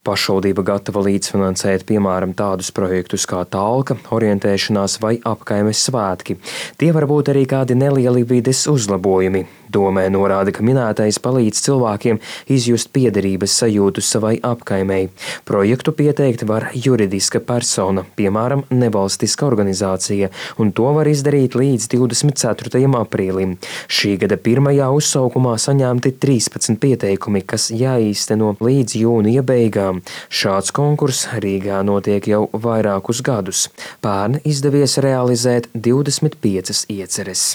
Pašvaldība gatava līdzfinansēt, piemēram, tādus projektus kā talka, orientēšanās vai apkaimes svētki. Tie var būt arī kādi nelieli vides uzlabojumi. Domē norāda, ka minētais palīdz cilvēkiem izjust piederības sajūtu savai apkaimei. Projektu pieteikt var juridiska persona, piemēram, nevalstiska organizācija, un to var izdarīt līdz 24. aprīlim. Šī gada pirmajā uzsaukumā saņemti 13 pieteikumi, kas jāīsteno līdz jūnija beigām. Šāds konkurss Rīgā notiek jau vairākus gadus. Pērn izdevies realizēt 25 ieceres.